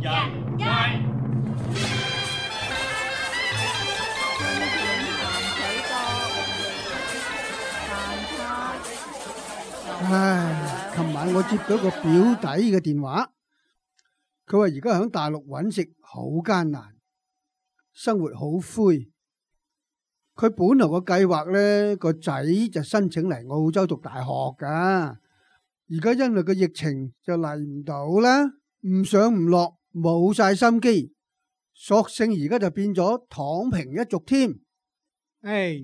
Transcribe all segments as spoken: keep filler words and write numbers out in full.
人街。唉，琴晚我接到個表弟嘅電話，佢話而家喺大陸揾食好艱難，生活好灰。佢本來個計劃呢，個仔就申請嚟澳洲讀大學噶，而家因為個疫情就嚟唔到啦，唔上唔落，冇晒心機，索性而家就變咗躺平一族添。唉，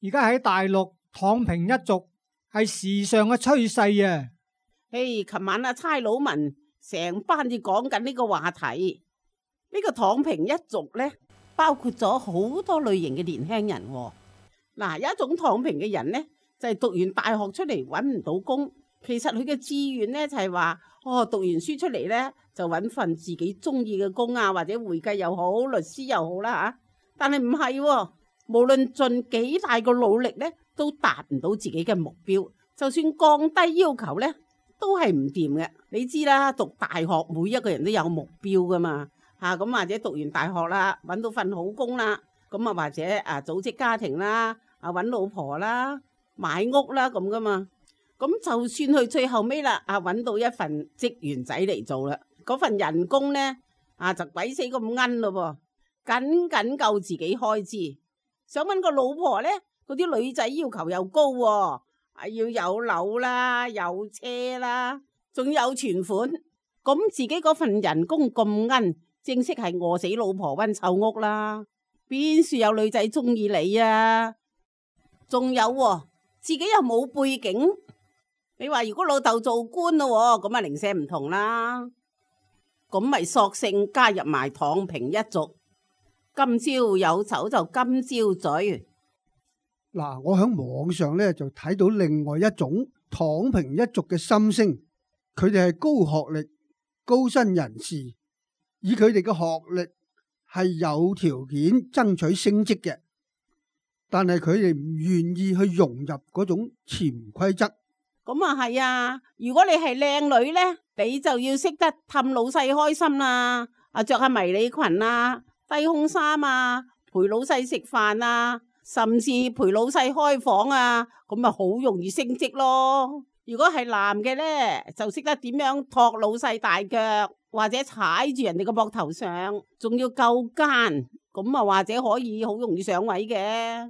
而家喺大陸躺平一族係時尚嘅趨勢啊！唉，琴晚阿差佬文成班就講緊呢個話題，呢個躺平一族呢，包括咗好多類型嘅年輕人。嗱，有一種躺平嘅人呢，就係讀完大學出嚟揾唔到工，其實佢嘅志願呢，就係話，哦，讀完書出嚟呢，就揾份自己中意嘅工啊，或者會計又好，律師又好啦吓。但係唔係，無論盡幾大個努力呢，都達唔到自己嘅目標。就算降低要求呢，都係唔掂嘅。你知啦，讀大學每一個人都有目標噶嘛。吓，咁或者讀完大學啦，揾到份好工啦，咁啊或者啊組織家庭啦，啊揾老婆啦，買屋啦咁噶嘛。咁就算去最後尾啦，啊揾到一份職員仔嚟做啦，嗰份人工呢，啊就鬼死咁奀咯噃，僅僅夠自己開支。想揾個老婆呢，嗰啲女仔要求又高喎，啊要有樓啦，有車啦，仲有存款。咁自己嗰份人工咁奀，正式係餓死老婆溫臭屋啦，邊處有女仔中意你啊？仲有喎，自己又冇背景，你話如果老豆做官咯，咁啊零舍唔同啦，咁咪索性加入埋躺平一族。今朝有酒就今朝醉。嗱，我喺網上咧就睇到另外一種躺平一族嘅心聲，佢哋係高學歷、高薪人士。以佢哋嘅學歷係有條件爭取升職嘅，但係佢哋唔願意去融入嗰種潛規則。咁啊係啊，如果你係靚女呢，你就要識得氹老細開心啦，啊着下迷你裙啊、低胸衫啊，陪老細食飯啊，甚至陪老細開房啊，咁咪好容易升職咯。如果係男嘅呢，就識得點樣托老細大腳，或者踩住人哋個膊頭上，仲要夠奸，咁啊或者可以好容易上位嘅。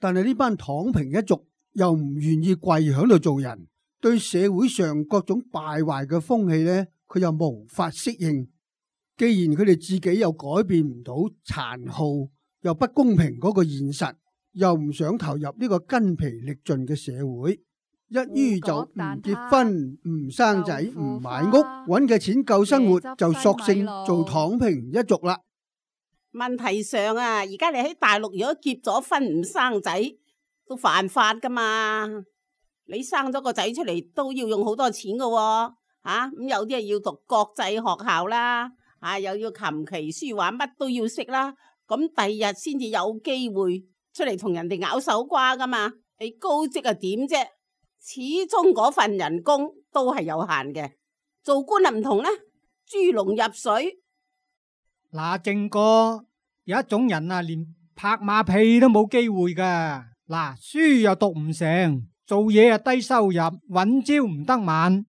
但係呢班躺平一族又唔願意跪響度做人，對社會上各種敗壞嘅風氣呢，佢又無法適應。既然佢哋自己又改變唔到殘酷又不公平嗰個現實，又唔想投入呢個筋疲力盡嘅社會，一於就唔結婚、唔生仔、唔買屋，揾嘅錢夠生活，就索性做躺平一族啦。問題上啊，而家你喺大陸如果結咗婚唔生仔，都犯法噶嘛。你生咗個仔出嚟都要用好多錢噶喎，吓咁有啲係要讀國際學校啦，啊又要琴棋書畫乜都要識啦，咁第日先至有機會出嚟同人哋咬手瓜噶嘛。你高職啊點啫？始終嗰份人工都係有限嘅，做官啊唔同呢，豬籠入水。嗱，正哥，有一種人啊，連拍馬屁都冇機會噶。嗱，書又讀唔成，做嘢啊低收入，搵朝唔得晚，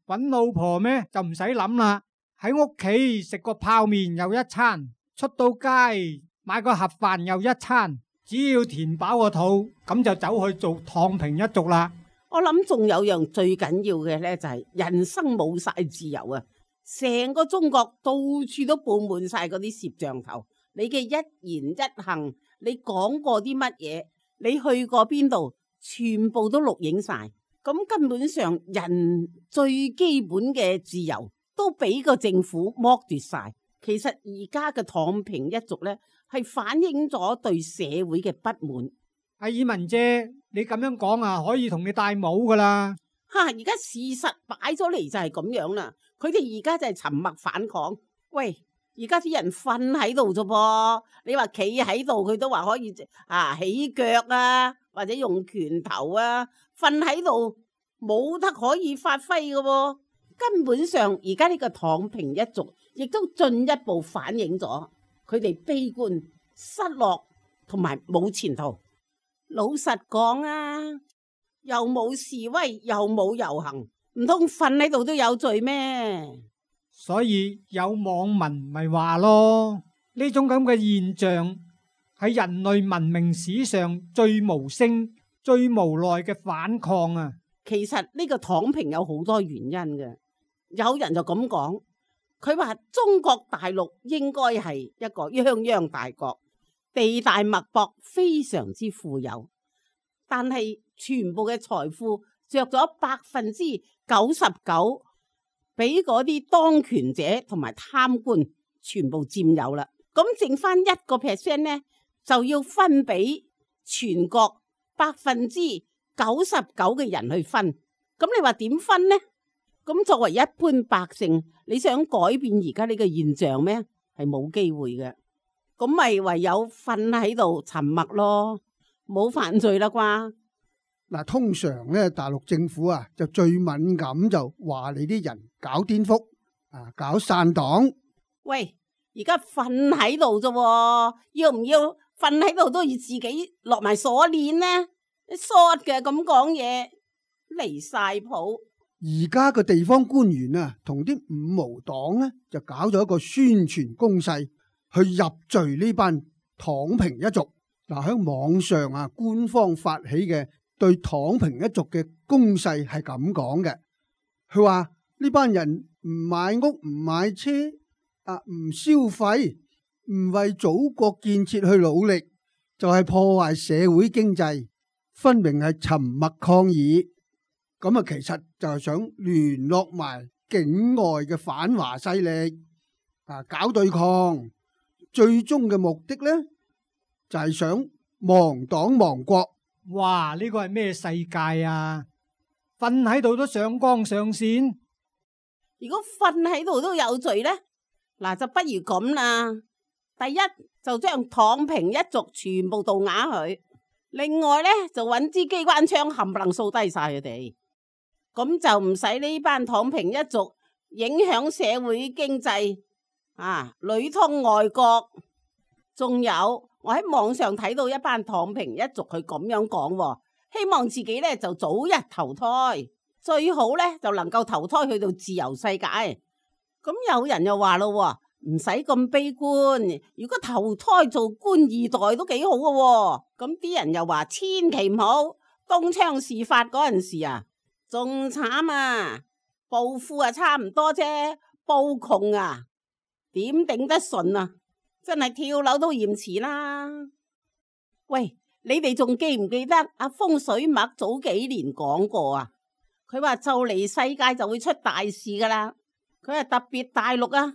搵老婆咩就唔使諗啦。喺屋企食個泡麵又一餐，出到街買個盒飯又一餐，只要填飽個肚，咁就走去做躺平一族啦。我諗仲有樣最緊要嘅呢，就係人生冇晒自由啊！成個中國到處都布滿晒嗰啲攝像頭，你嘅一言一行，你講過啲乜嘢，你去過邊度，全部都錄影晒。咁根本上人最基本嘅自由都俾個政府剝奪晒。其實而家嘅躺平一族呢，係反映咗對社會嘅不滿。阿爾文姐，你咁樣講啊，可以同你戴帽噶啦。吓，而家事實擺咗嚟就係咁樣啦。佢哋而家就係沉默反抗。喂，而家啲人瞓喺度啫噃，你話企喺度，佢都話可以啊起腳啊，或者用拳頭啊，瞓喺度冇得可以發揮噶喎。根本上而家呢個躺平一族，亦都進一步反映咗佢哋悲觀、失落同埋冇前途。老實講啊，又冇示威，又冇遊行，唔通瞓喺度都有罪咩？所以有網民咪話咯，呢種咁嘅現象係人類文明史上最無聲、最無奈嘅反抗啊！其實呢個躺平有好多原因嘅，有人就咁講，佢話中國大陸應該係一個泱泱大國，地大物博，非常之富有，但係全部嘅財富着咗百分之九十九俾嗰啲當權者同埋貪官全部佔有啦，咁剩翻一個 percent 呢，就要分俾全國百分之九十九嘅人去分，咁你話點分呢？咁作為一般百姓，你想改變而家呢個現象咩？係冇機會嘅，咁咪唯有瞓喺度沉默咯，冇犯罪啦啩？嗱，通常咧大陸政府啊就最敏感就話你啲人搞顛覆啊，搞散黨。喂，而家瞓喺度啫，要唔要瞓喺度都要自己落埋鎖鏈呢？short 嘅咁講嘢，離晒譜。而家個地方官員啊，同啲五毛黨咧就搞咗一個宣傳攻勢，去入罪呢班躺平一族。嗱，喺網上啊，官方發起嘅對躺平一族嘅攻勢係咁講嘅，佢話呢班人唔買屋唔買車啊，唔消費，唔為祖國建設去努力，就係破壞社會經濟。分明係沉默抗議，咁啊，其實就係想聯絡埋境外嘅反華勢力啊，搞對抗。最終嘅目的呢，就係想亡黨亡國。哇！呢個係咩世界啊？瞓喺度都上綱上線。如果瞓喺度都有罪呢，嗱就不如咁啦。第一就將躺平一族全部盜啞佢。另外咧，就揾支機關槍冚唪唥掃低晒佢哋，咁就唔使呢班躺平一族影響社會經濟啊，裏通外國。仲有我喺網上睇到一班躺平一族佢咁樣講，希望自己咧就早日投胎，最好咧就能夠投胎去到自由世界。咁有人又話咯，唔使咁悲觀，如果投胎做官二代都幾好嘅喎。咁啲人又話千祈唔好，東窗事發嗰陣時啊，仲慘啊，暴富啊差唔多啫，暴窮啊點頂得順啊，真係跳樓都嫌遲啦。喂，你哋仲記唔記得阿風水麥早幾年講過啊？佢話就嚟世界就會出大事噶啦，佢係特別大陸啊，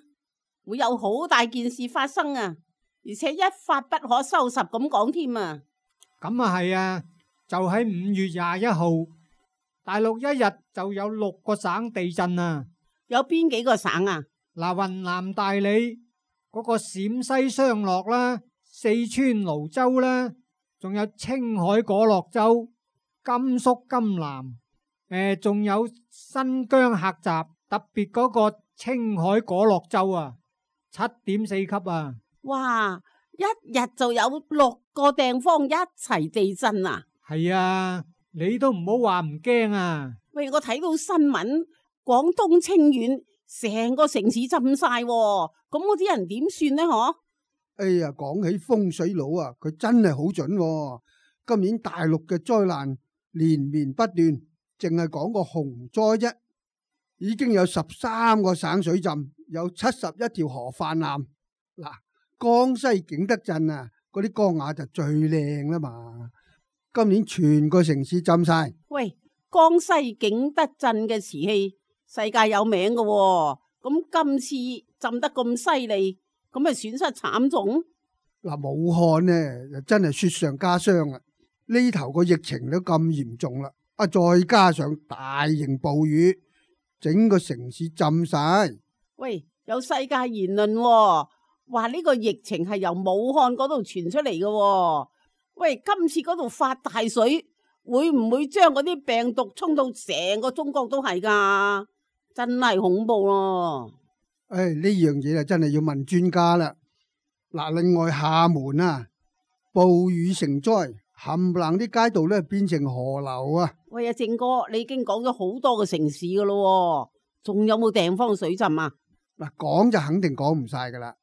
會有好大件事發生啊，而且一發不可收拾咁講添啊！咁啊係啊，就喺五月廿一號，大陸一日就有六個省地震啊！有邊幾個省啊？嗱，雲南大理嗰個陝西雙樂啦，四川瀘州啦，仲有青海果洛州、甘肅甘南，誒，仲有新疆喀什，特別嗰個青海果洛州啊，七點四級啊！哇！一日就有六個地方一齊地震啊！係啊，你都唔好話唔驚啊！喂，我睇到新聞，廣東清遠成個城市浸晒，咁嗰啲人點算呢？嗬？哎呀，講起風水佬啊，佢真係好準喎。今年大陸嘅災難連綿不斷，淨係講個洪災啫，已經有十三個省水浸，有七十一條河泛濫。嗱，江西景德鎮啊，嗰啲江雅就最靚啦嘛。今年全個城市浸晒。喂，江西景德鎮嘅瓷器世界有名嘅喎，咁今次浸得咁犀利，咁咪損失慘重。嗱，武漢呢就真係雪上加霜啊！呢頭個疫情都咁嚴重啦，啊再加上大型暴雨，整個城市浸晒。喂，有世界言論喎，話呢個疫情係由武漢嗰度傳出嚟嘅喎。喂，今次嗰度發大水，會唔會將嗰啲病毒沖到成個中國都係噶？真係恐怖咯。唉，呢樣嘢啊，真係要問專家啦。嗱，另外廈門啊，暴雨成災，冚唪唥啲街道咧變成河流啊！喂，阿正哥，你已經講咗好多個城市噶咯，仲有冇地方水浸啊？嗱，講就肯定講唔晒噶啦，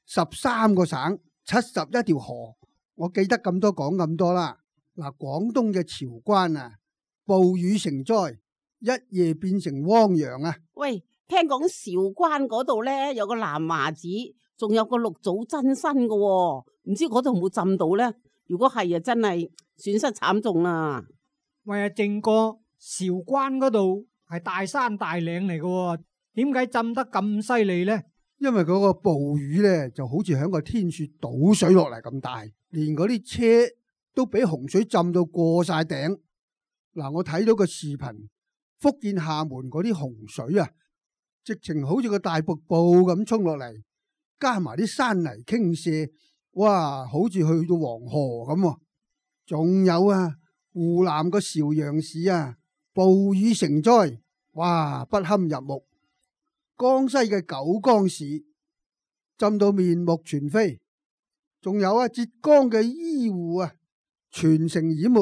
十三個省，七十一條河，我記得咁多講咁多啦。嗱，廣東嘅韶關啊，暴雨成災，一夜變成汪洋啊！喂，聽講韶關嗰度咧有個南華寺，仲有個六祖真身噶，唔知嗰度有冇浸到咧？如果係啊，真係損失慘重啦。喂，阿正哥，韶關嗰度係大山大嶺嚟嘅，點解浸得咁犀利呢？因為嗰個暴雨咧就好似響個天雪倒水落嚟咁大，連嗰啲車都俾洪水浸到過晒頂。嗱，我睇到個視頻，福建廈門嗰啲洪水啊，直情好似個大瀑布咁衝落嚟，加埋啲山泥傾瀉，哇，好似去到黃河咁。仲有啊，湖南個邵陽市啊，暴雨成災，哇，不堪入目。江西嘅九江市浸到面目全非，仲有啊，浙江嘅醫護啊，全城淹沒。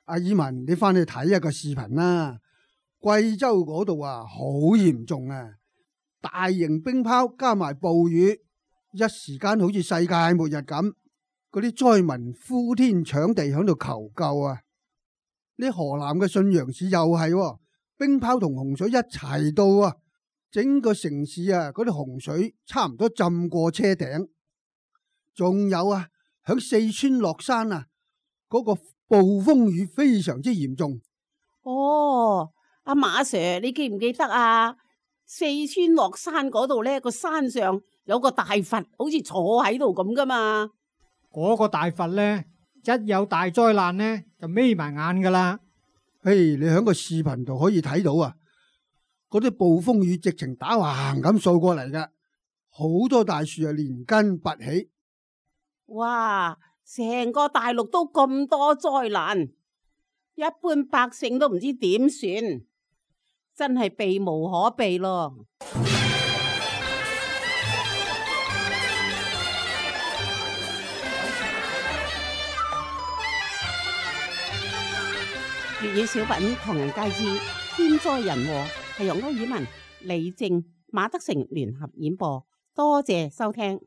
阿爾文，你翻去睇下個視頻啦。貴州嗰度啊，好嚴重啊，大型冰雹加埋暴雨，一時間好似世界末日咁。嗰啲災民呼天搶地響度求救啊！呢河南嘅信陽市又係、啊、冰雹同洪水一齊到啊！整個城市啊，嗰啲洪水差唔多浸過車頂。仲有啊，響四川樂山啊，嗰、嗰個暴風雨非常之嚴重。哦，阿馬 Sir， 你記唔記得啊？四川樂山嗰度呢個山上有個大佛，好似坐喺度咁噶嘛。嗰個大佛呢，一有大災難呢，就眯埋眼噶啦。嘿，你喺個視頻度可以睇到啊，嗰啲暴風雨直情打橫咁掃過嚟噶，好多大樹啊連根拔起。哇！成個大陸都咁多災難，一般百姓都唔知點算，真係避無可避咯。粵語小品唐人街之天災人禍係由歐爾文、李正、馬德成聯合演播，多謝收聽。